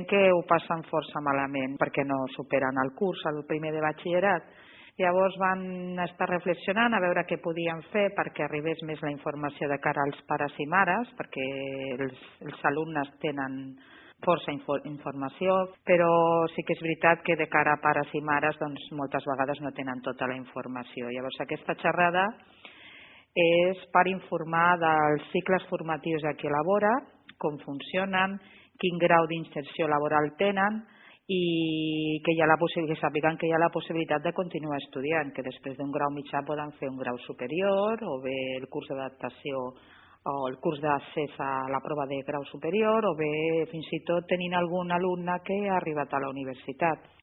que ho passen força malament perquè no superen el curs, el primer de batxillerat. Llavors van estar reflexionant a veure què podien fer perquè arribés més la informació de cara als pares i mares, perquè els alumnes tenen força informació, però sí que és veritat que de cara a pares i mares doncs, moltes vegades no tenen tota la informació. Llavors aquesta xerrada és per informar dels cicles formatius a què elabora, com funcionen, quin grau d'inserció laboral tenen i que sàpiguen que hi ha la possibilitat de continuar estudiant, que després d'un grau mitjà poden fer un grau superior o bé el curs d'adaptació o el curs d'accés a la prova de grau superior o bé fins i tot tenint algun alumne que ha arribat a la universitat.